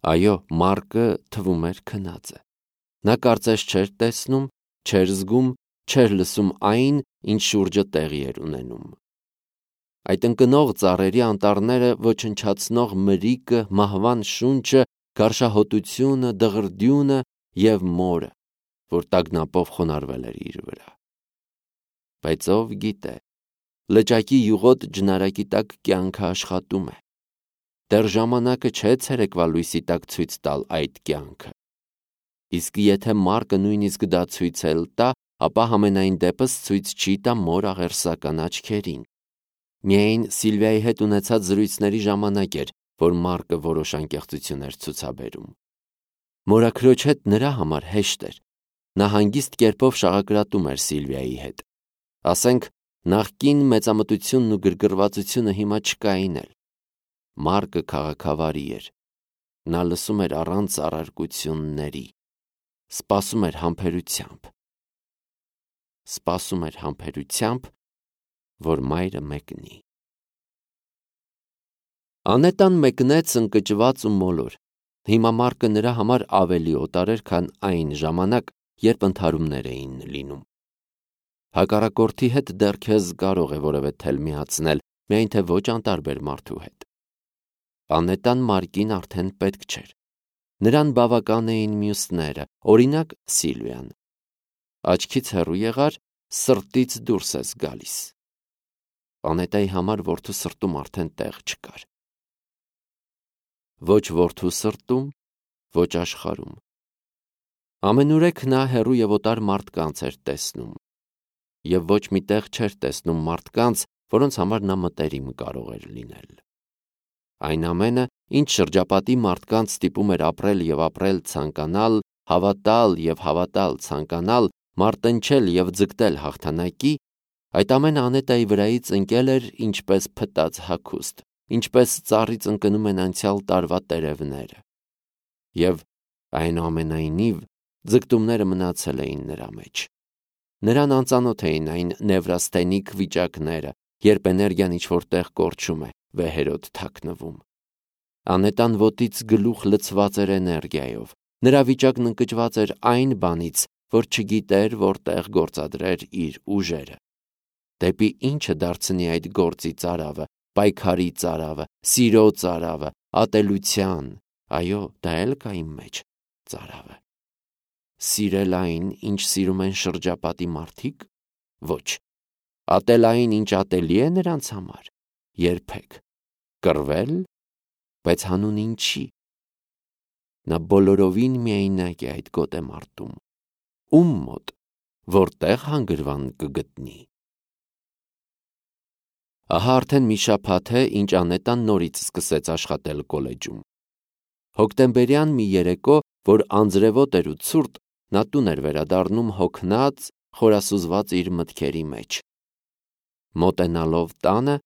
Այո, Մարկը թվում էր քնած է։ Նա կարծես չէր տեսնում, չէր զգում, չէր լսում այն, ինչ շուրջը տեղի էր ունենում։ Այդ ընկնող ծառերի անտառները, ոչնչացնող մրիկը, մահվան շունչը, գարշահոտությունը, դղրդյունը և մորը, որ տագնապով խոնարհվել էր իր վրա։ Բայց ով գիտե, լճակի յուղոտ ջնարակի տակ կյանքը աշխատում է։ Դեռ ժամանակը չէ ցերեկվա լույսի տակ ցույց տալ այդ կյանքը։ Իսկ եթե Մարկը նույնիսկ դա ցույց էլ տա, ապա համենայն դեպս ցույց չի տա մոր աղերսական աչքերին։ Միայն Սիլվիայի հետ ունեցած զրույցների ժամանակ էր, որ Մարկը որոշ անկեղծություն էր ցուցաբերում։ Մորաքրոջ հետ նրա համար հեշտ էր։ Նա հանգիստ կերպով շաղակրատում էր Սիլվիայի հետ։ Ասենք, նախկին մեծամտությունն ու գրգռվածությունը հիմա չկային էլ։ Մարկը քաղաքավարի էր։ Նա լսում էր առանց առարկությունների։ Սպասում էր համբերությամբ, որ մայրը մեկնի։ Անետան մեկնեց ընկճված ու մոլոր։ Հիմա Մարկը նրա համար ավելի օտար էր, քան այն ժամանակ, երբ ընդհարումներ էին լինում։ Հակառակորդի հետ դեռ քեզ կարող է որևէ թել միացնել, միայն թե ոչ անտարբեր մարդու հետ։ Անետան Մարկին արդեն պետք չէր։ Նրան բավական էին մյուսները, օրինակ Սիլվիան։ Աչքից հեռու եղար, սրտից դուրս ես գալիս։ Անետայի համար որդու սրտում արդեն տեղ չկար։ Ոչ որդու սրտում, ոչ աշխարհում։ Ամենուրեք նա հեռու և օտար մարդկանց էր տեսնում։ Եվ ոչ մի տեղ չէր տեսնում մարդկանց, որոնց համար նա մտերիմ կարող էր լինել։ Այն ամենը, ինչ շրջապատի մարդկանց ստիպում էր ապրել և ապրել ցանկանալ, հավատալ և հավատալ ցանկանալ, մարտնչել և ձգտել հաղթանակի, այդ ամենը Անետայի վրայից ընկել էր ինչպես փտած հագուստ, ինչպես ծառից ընկնում են անցյալ տարվա տերևները։ Եվ այնուամենայնիվ ձգտումները մնացել էին նրա մեջ։ Նրան անծանոթ էին այն նևրաստենիկ վիճակները, երբ էներգիան ինչ-որ տեղ կորչում է, վեհերոտ թաքնվում։ Անետան ոտից գլուխ լցված էր էներգիայով։ Նրա վիճակն ընկճված էր այն բանից, որ չգիտեր որտեղ գործադրեր իր ուժերը։ Դեպի ինչը դարձնի այդ գործի ծարավը, պայքարի ծարավը, սիրո ծարավը, ատելության, այո, դա էլ կա իմ մեջ, ծարավը։ Սիրել այն, ինչ սիրում են շրջապատի մարդիկ։ Ոչ։ Ատել այն, ինչ ատելի է նրանց համար։ Երբեք։ Կռվել, բայց հանուն ինչի։ Նա բոլորովին միայնակ է այդ գոտեմարտում։ Ում մոտ, որտեղ հանգրվան կգտնի։ Ահա արդեն մի շաբաթ է, ինչ Անետան նորից սկսեց աշխատել կոլեջում։ Հոկտեմբերյան մի երեկո, որ անձրևոտ էր ու ցուրտ, նա տուն էր վերադառնում հոգնած, խորասուզված իր մտքերի մեջ։ Մոտենալով տանը,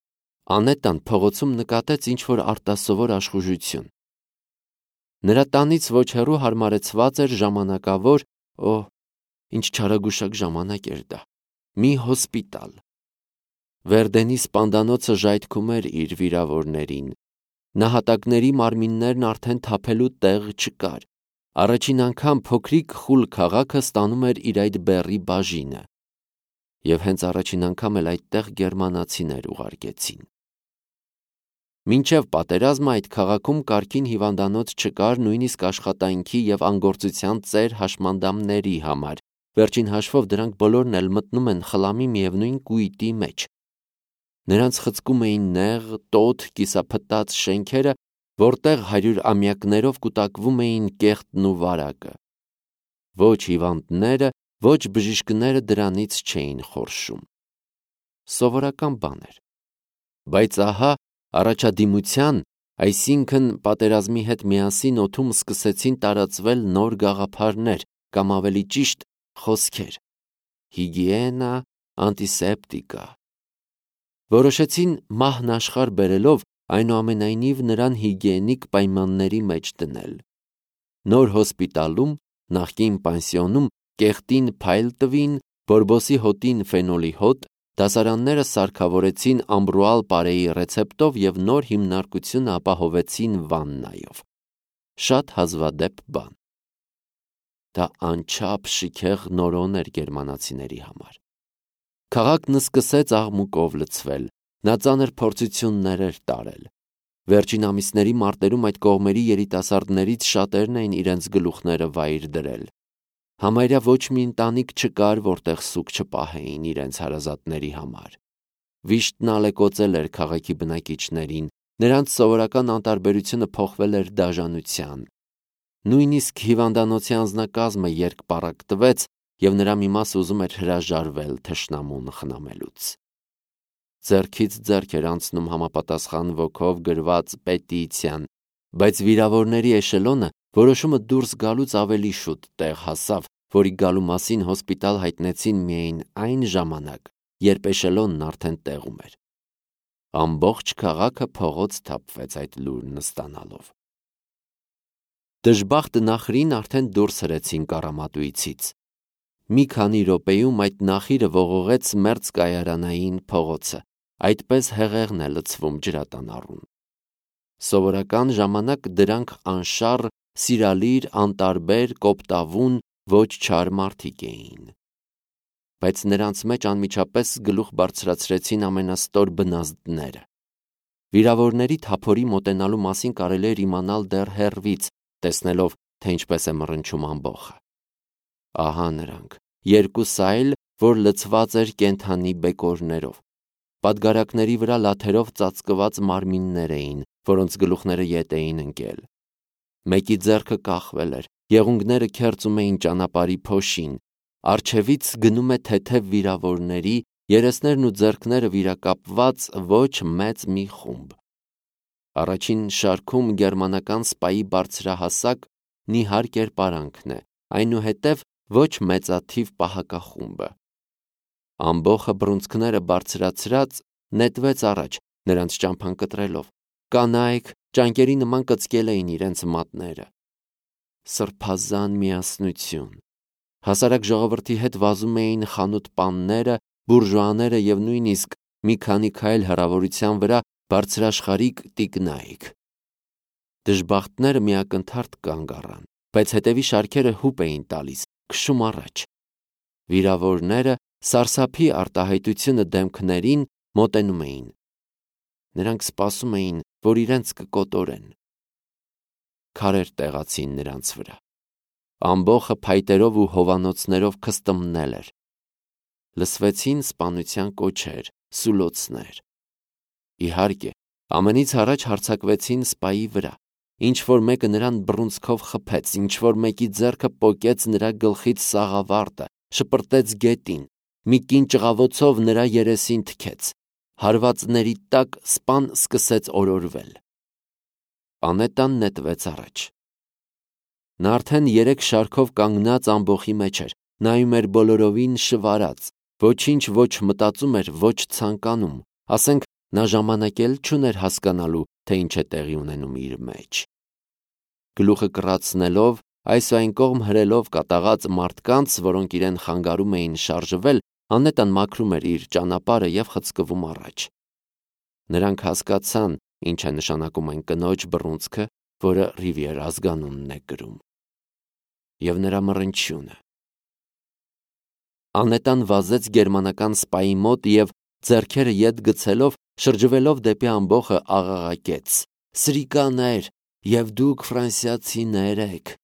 Անետան փողոցում նկատեց ինչ-որ արտասովոր աշխուժություն։ Նրա տանից ոչ հեռու հարմարեցված էր ժամանակավոր, ինչ չարագուշակ ժամանակ էր դա, մի հոսպիտալ։ Վերդենի սպանդանոցը ժայթքում էր իր վիրավորներին։ Նահատակների մարմիններն արդեն թափելու տեղ չկար։ Առաջին անգամ փոքրիկ խուլ քաղաքը ստանում էր իր այդ բեռի բաժինը։ Եվ հենց առաջին անգամ էլ այդտեղ գերմանացիներ ուղարկեցին։ Մինչև պատերազմը այդ քաղաքում կարգին հիվանդանոց չկար նույնիսկ աշխատանքի և անգործության ծեր հաշմանդամների համար։ Վերջին հաշվով դրանք բոլորն էլ մտնում են խլամի միևնույն կույտի մեջ։ Նրանց խցկում էին նեղ, տոտ, կիսափտած շենքերը, որտեղ 100 ամյակներով կուտակվում էին կեղտն ու վարակը։ Ոչ հիվանդները, ոչ բժիշկները դրանից չէին խորշում։ Սովորական բան էր։ Բայց ահա առաջադիմության, այսինքն պատերազմի հետ միասին օդում սկսեցին տարածվել նոր գաղափարներ, կամ ավելի ճիշտ, խոսքեր։ Հիգիենա, անտիսեպտիկա։ Որոշեցին մահն աշխարհ բերելով, այնուամենայնիվ նրան հիգիենիկ պայմանների մեջ դնել։ Նոր հոսպիտալում, նախկին պանսիոնում կեղտին փայլ տվին, բորբոսի հոտին ֆենոլի հոտ, դասարանները սարքավորեցին ամբրուալ պարեի ռեցեպտով և նոր հիմնարկություն ապահովեցին վաննայով։ շատ հազվադեպ բան։ Դա անչափ շիքեղ նորոն էր գերմանացիների համար։ Քաղաքն սկսեց աղմուկով լցվել, նա ծանր փորձություններ էր տարել։ Վերջին ամիսների մարտերում այդ կողմերի երիտասարդներից շատերն էին իրենց գլուխները վայր դրել։ Համարյա ոչ մի ընտանիք չկար, որտեղ սուկ չպահեին իրենց հարազատների համար։ Վիշտն ալեկոծել էր քաղաքի բնակիչներին, նրանց սովորական անտարբերությունը փոխվել էր դաժանության։ Նույնիսկ հիվանդանոցի անձնակազմը երկպառակտվեց և նրա մի մասը ուզում էր հրաժարվել թշնամուն խնամելուց։ Ձեռքից ձեռք էր անցնում համապատասխան ոգով գրված պետիցիան, բայց վիրավորների էշելոնը որոշումը դուրս գալուց ավելի շուտ տեղ հասավ, որի գալու մասին հոսպիտալ հայտնեցին միայն այն ժամանակ, երբ էշելոնն արդեն տեղում էր։ Ամբողջ քաղաքը փողոց թափվեց այդ լուրն ստանալով։ Դժբախտ նախրին արդեն դուրս հրեցին կառամատույցից։ Մի քանի րոպեում այդ նախիրը ողողեց մերձ կայարանային փողոցը, այդպես հեղեղն է լցվում ջրատանառուն։ Սովորական ժամանակ դրանք անշառ, սիրալիր, անտարբեր, կոպտավուն, ոչ չար մարդիկ էին։ Բայց նրանց մեջ անմիջապես գլուխ բարձրացրեցին ամենաստոր բնազդները։ Վիրավորների թափորի մոտենալու մասին կարելի էր իմանալ դեռ հեռվից, տեսնելով, թե ինչպես է մռնչում ամբոխը։ Ահա նրանք, երկուսը այլ, որ լցված էր կենդանի բեկորներով։ Պատգարակների վրա լաթերով ծածկված մարմիններ էին, որոնց գլուխները ետ էին ընկել։ Մեկի ձեռքը կախվել էր, եղունգները քերծում էին ճանապարհի փոշին, առջևից գնում է թեթև վիրավորների, երեսներն ու ձեռքները վիրակապված ոչ մեծ մի խումբ։ Առաջին շարքում գերմանական սպայի բարձրահասակ, նիհար կերպարանքն է, այնուհետև ոչ մեծաթիվ պահակախումբը։ Ամբոխը բռունցքները բարձրացրած նետվեց առաջ, նրանց ճամփան կտրելով։ Կանայք ճանկերի նման կծկել էին իրենց մատները։ Սրբազան միասնություն։ Հասարակ ժողովրդի հետ վազում էին խանութ-պանները, բուրժուաները և նույնիսկ մի քանի քայլ հեռավորության վրա բարձրաշխարհիկ տիկնայք։ Դժբախտները միակնթարթ կանգ առան, բայց հետևի շարքերը հուպ էին տալիս, քշում առաջ։ Վիրավորները սարսափի արտահայտությունը դեմքներին մոտենում էին։ Նրանք սպասում էին, որ իրենց կկոտորեն։ Քարեր տեղացին նրանց վրա։ Ամբոխը փայտերով ու հովանոցներով քստմնել էր։ Լսվեցին սպանության կոչեր, սուլոցներ։ Իհարկե, ամենից առաջ հարձակվեցին սպայի վրա։ Ինչ-որ մեկը նրան բռունցքով խփեց, ինչ-որ մեկի ձեռքը պոկեց նրա գլխից սաղավարտը, շպրտեց գետին, մի կին ճղավոցով նրա երեսին թքեց։ Հարվածների տակ սպան սկսեց օրորվել։ Անետան նետվեց առաջ։ Նա արդեն 3 շարքով կանգնած ամբոխի մեջ էր, նայում էր բոլորովին շվարած, ոչինչ ոչ մտածում էր, ոչ ցանկանում, ասենք նա ժամանակ էլ չուներ հասկանալու, թե ինչ է տեղի ունենում իր մեջ։ Գլուխը կռացնելով, այս ու այն կողմ հրելով կատաղած մարդկանց, որոնք իրեն խանգարում էին շարժվել, Անետան մաքրում էր իր ճանապարհը և խցկվում առաջ։ Նրանք հասկացան, ինչ է նշանակում այն կնոջ բռունցքը, որը Ռիվիեր ազգանունն է կրում։ Եվ նրա մռնչյունը։ Անետան վազեց գերմանական սպայի մոտ և ձեռքերը ետ գցելով, շրջվելով դեպի ամբոխը աղաղակեց. «Սրիկաներ, և դուք ֆրանսիացիներ եք»։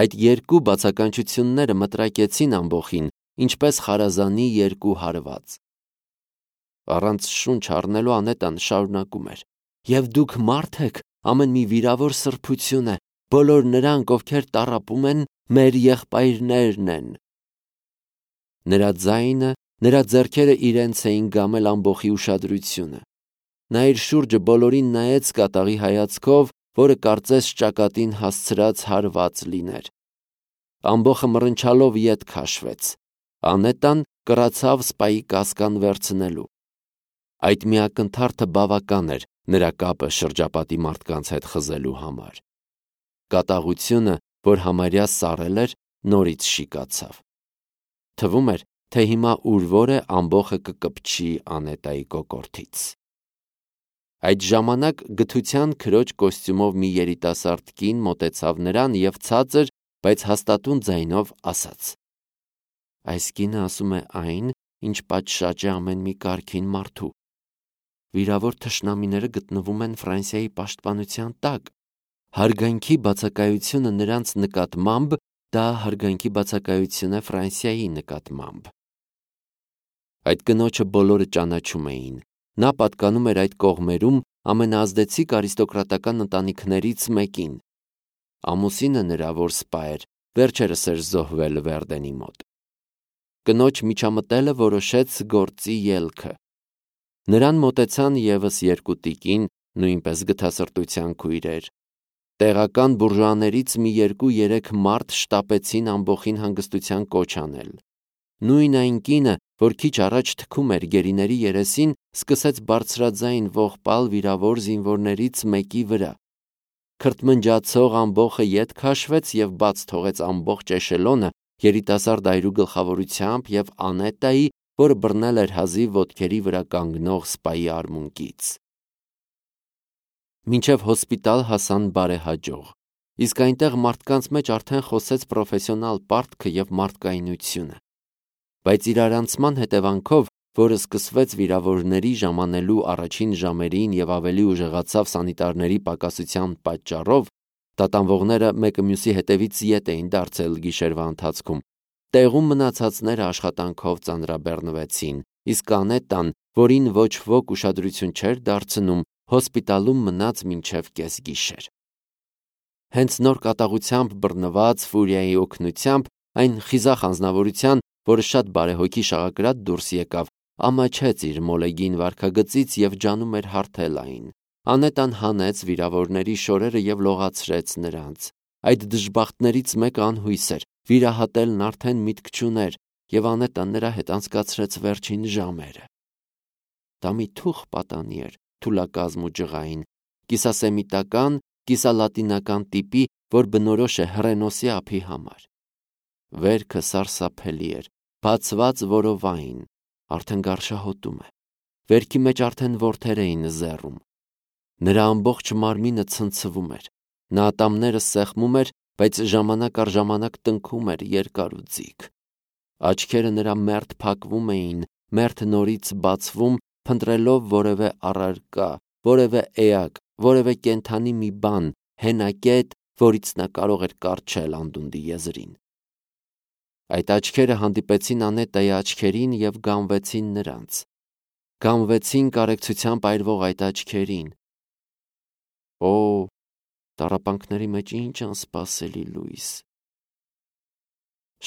Այդ երկու բացականչությունները մտրակեցին ամբոխին, ինչպես խարազանի երկու հարված։ Առանց շունչ առնելու Անետան շարունակում էր. «Եվ դուք մարդ եք, ամեն մի վիրավոր սրբություն է, բոլոր նրանք, ովքեր տառապում են, մեր եղբայրներն են»։ Նրա ձայնը, նրա ձեռքերը իրենց էին գամել ամբոխի ուշադրությունը։ Նա իր շուրջը բոլորին նայեց կատաղի հայացքով, որը կարծես ճակատին հասցրած հարված լիներ։ Ամբոխը մռնչալով ետ քաշվեց։ Անետան կռացավ սպայի կասկան վերցնելու։ Այդ միակնթարթը բավական էր նրա կապը շրջապատի մարդկանց հետ խզելու համար։ Կատաղությունը, որ համարյա սառել էր, նորից շիկացավ։ Թվում էր, թե հիմա ուրվոր է ամբոխը կկպչի Անետայի կոկորդից։ Այդ ժամանակ գթության քրոջ կոստյումով մի երիտասարդ կին մոտեցավ նրան և ցածր, բայց հաստատուն ձայնով ասաց. «Այս կինը ասում է այն, ինչ պատշաճ է ամեն մի կարգին մարդու։ Վիրավոր թշնամիները գտնվում են Ֆրանսիայի պաշտպանության տակ։ Հարգանքի բացակայությունը նրանց նկատմամբ դա հարգանքի բացակայություն է Ֆրանսիայի նկատմամբ»։ Այդ կնոջը բոլորը ճանաչում էին։ Նա պատկանում էր այդ կողմերում ամենաազդեցիկ արիստոկրատական ընտանիքներից մեկին։ Ամուսինը նրա, որ սպա էր, վերջերս էր զոհվել Վերդենի մոտ։ Կնոջ միջամտելը որոշեց գործի ելքը։ Նրան մոտեցան ևս երկու տիկին, նույնպես գթասրտության քույրեր։ Տեղական բուրժուաներից մի 2-3 մարդ շտապեցին ամբոխին հանգստության կոչ անել։ Նույն այն կինը, որ քիչ առաջ թքում էր գերիների երեսին, սկսեց բարձրաձայն ողբալ վիրավոր զինվորներից մեկի վրա։ Քրթմնջացող ամբոխը ետ քաշվեց և բաց թողեց ամբողջ էշելոնը երիտասարդ այրու գլխավորությամբ և Անետայի, որը բռնել էր հազիվ ոտքերի վրա կանգնող սպայի արմունկից։ Մինչև հոսպիտալ հասան բարեհաջող, իսկ այնտեղ մարդկանց մեջ արդեն խոսեց պրոֆեսիոնալ պարտքը և մարդկայնությունը։ Բայց իրարանցման հետևանքով, որը սկսվեց վիրավորների ժամանելու առաջին ժամերին և ավելի ուժեղացավ սանիտարների պակասության պատճառով, տատանվողները մեկը մյուսի հետևից ետ էին դարձել գիշերվա ընթացքում, տեղում մնացածները աշխատանքով ծանրաբեռնվեցին, իսկ Անետան, որին ոչ ոք ուշադրություն չէր դարձնում, հոսպիտալում մնաց մինչև կեսգիշեր։ Հենց նոր կատաղությամբ բռնված Ֆուրիայի օգնությամբ, այն խիզախ անձնավորության, որը շատ բարեհոգի շաղակրատ դուրս եկավ, ամաչեց իր մոլեգին վարքագծից և ջանում էր հարթել այն։ Անետան հանեց վիրավորների շորերը և լողացրեց նրանց։ Այդ դժբախտներից մեկը անհույս էր, վիրահատելն արդեն միտք չուներ, և Անետան նրա հետ անցկացրեց վերջին ժամերը։ Դա մի թուխ պատանի էր, թուլակազմ ու ջղային, կիսասեմիտական, կիսալատինական տիպի, որ բնորոշ է հռենոսի ափի համար։ Վերքը սարսափելի էր, բացված որովայն, արդեն գարշահոտում է։ Վերքի մեջ արդեն որդեր էին զեռում։ Նրա ամբողջ մարմինը ցնցվում էր։ Նա ատամները սեղմում էր, բայց ժամանակ առ ժամանակ տնքում էր երկար ու ձիգ։ Աչքերը նրա մերթ փակվում էին, մերթ նորից բացվում, փնտրելով որևէ առարկա, որևէ էակ, որևէ կենդանի մի բան, հենակետ, որից նա կարող էր կառչել անդունդի եզրին։ Այդ աչքերը հանդիպեցին Անետայի աչքերին և գանվեցին նրանց։ Գանվեցին կարեկցությամբ այրվող այդ աչքերին։ Օ, տառապանքների մեջ ինչ անսպասելի լույս։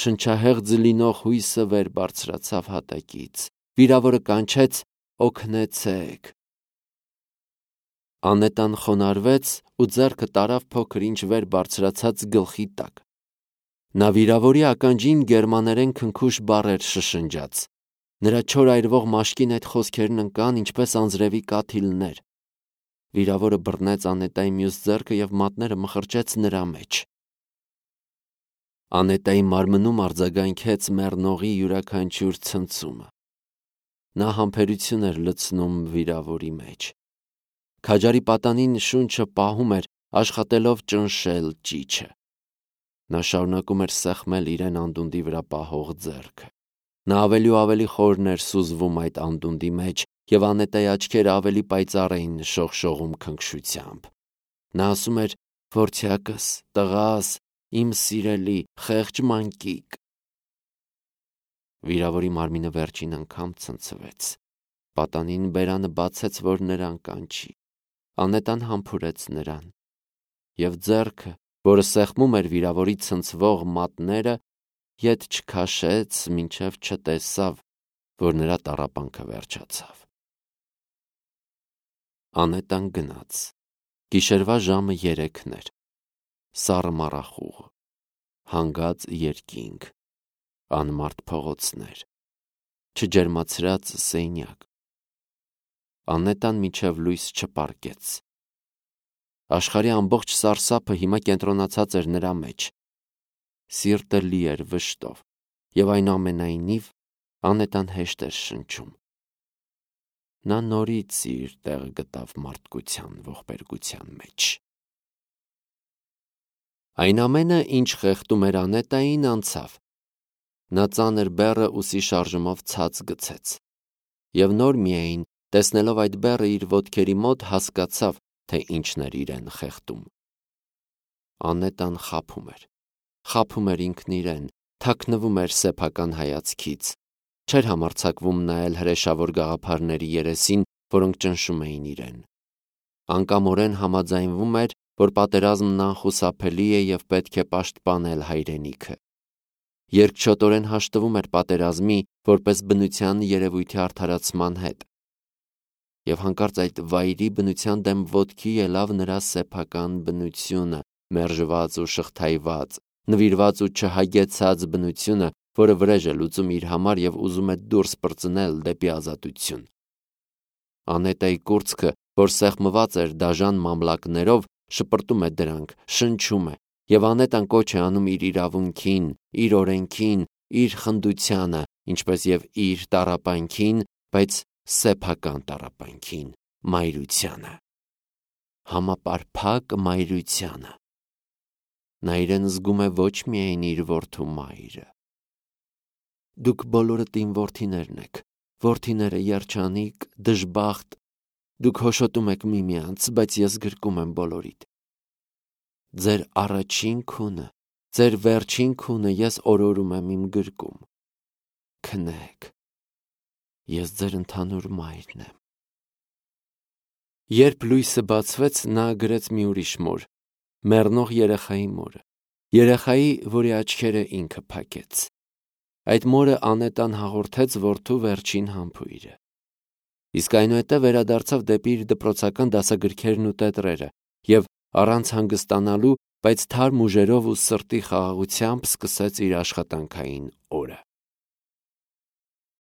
Շնչահեղձ լինող հույսը վեր բարձրացավ հատակից։ Վիրավորը կանչեց. «Օգնեցեք»։ Անետան խոնարհվեց ու ձեռքը տարավ փոքր ինչ վեր բարձրացած գլխի տակ։ Նա վիրավորի ականջին գերմաներեն քնքուշ բառեր շշնջաց։ Նրա չոր այրվող մաշկին այդ խոսքերն ընկան ինչպես անձրևի կաթիլներ։ Վիրավորը բռնեց Անետայի մյուս ձեռքը և մատները մխրճեց նրա մեջ։ Անետայի մարմնում արձագանքեց մեռնողի յուրաքանչյուր ցնցումը։ Նա համբերություն էր լցնում վիրավորի մեջ։ Քաջարի պատանին շունչը պահում էր, աշխատելով ճնշել ճիչը։ Նա շարունակում էր սեղմել իրեն անդունդի վրա պահող ձեռքը։ Նա ավելի ու ավելի խորն էր սուզվում այդ անդունդի մեջ, և Անետայի աչքերը ավելի պայծառ էին շողշողում քնքշությամբ։ Նա ասում էր. «Որդյակս, տղաս, իմ սիրելի, խեղճ մանկիկ»։ Վիրավորի մարմինը վերջին անգամ ցնցվեց։ Պատանին բերանը բացեց, որ նրան կանչի։ Անետան համբուրեց նրան, և ձեռքը, որը սեղմում էր վիրավորի ցնցվող մատները, ետ չքաշեց, մինչև չտեսավ, որ նրա տառապանքը վերջացավ։ Անետան գնաց։ Գիշերվա ժամը 3-ն էր։ Սառը մառախուղ, հանգած երկինք, անմարդ փողոցներ, չջերմացրած սենյակ։ Անետան մինչև լույս չպառկեց։ Աշխարհի ամբողջ սարսափը հիմա կենտրոնացած էր նրա մեջ։ Սիրտը լի էր վշտով, և այնուամենայնիվ Անետան հեշտ էր շնչում։ նա նորից իր տեղը գտավ մարդկության ողբերգության մեջ։ Այն ամենը, ինչ խեղդում էր Անետային, անցավ։ Նա ծանր բեռը ուսի շարժումով ցած գցեց, և նոր միայն, տեսնելով այդ բեռը իր ոտքերի մոտ, հասկացավ, թե ինչն էր իրեն խեղդում։ Անետան խաբում էր ինքն իրեն, թաքնվում էր սեփական հայացքից, չէր համարձակվում նայել հրեշավոր գաղափարների երեսին, որոնք ճնշում էին իրեն։ Անկամորեն համաձայնվում էր, որ պատերազմն անխուսափելի է և պետք է պաշտպանել հայրենիքը։ Երկչոտորեն հաշտվում էր պատերազմի, որպես բնության երևույթի արդարացման հետ։ Եվ հանկարծ այդ վայրի բնության դեմ ոտքի ելավ նրա սեփական բնությունը, մերժված ու շղթայված, նվիրված ու չհագեցած բնությունը, որը վրեժ է լուծում իր համար և ուզում է դուրս պրծնել դեպի ազատություն։ Անետայի կուրծքը, որ սեղմված էր դաժան մամլակներով, շպրտում է դրանք, շնչում է, և Անետան կոչ է անում իր իրավունքին, իր օրենքին, իր խնդությանը, ինչպես և իր տառապանքին, բայց սեփական տառապանքին, մայրությանը, համապարփակ մայրությանը։ Նա իրեն զգում է ոչ միայն իր որդու մայրը։ Դուք բոլորդ իմ որդիներն եք, որդիները երջանիկ, դժբախտ, դուք հոշոտում եք միմյանց, բայց ես գրկում եմ բոլորիդ։ Ձեր առաջին քունը, ձեր վերջին քունը ես օրորում եմ իմ գրկում։ Քնեք, ես ձեր ընդհանուր մայրն եմ։ Երբ լույսը բացվեց, նա գրեց մի ուրիշ մոր, մեռնող երեխայի մորը, երեխայի, որի աչքերը ինքը փակեց։ Այդ մորը Անետան հաղորդեց որդու վերջին համբույրը։ Իսկ այնուհետև վերադարձավ դեպի իր դպրոցական դասագրքերն ու տետրերը և առանց հանգստանալու, բայց թարմ ուժերով ու սրտի խաղաղությամբ սկսեց իր աշխատանքային օրը։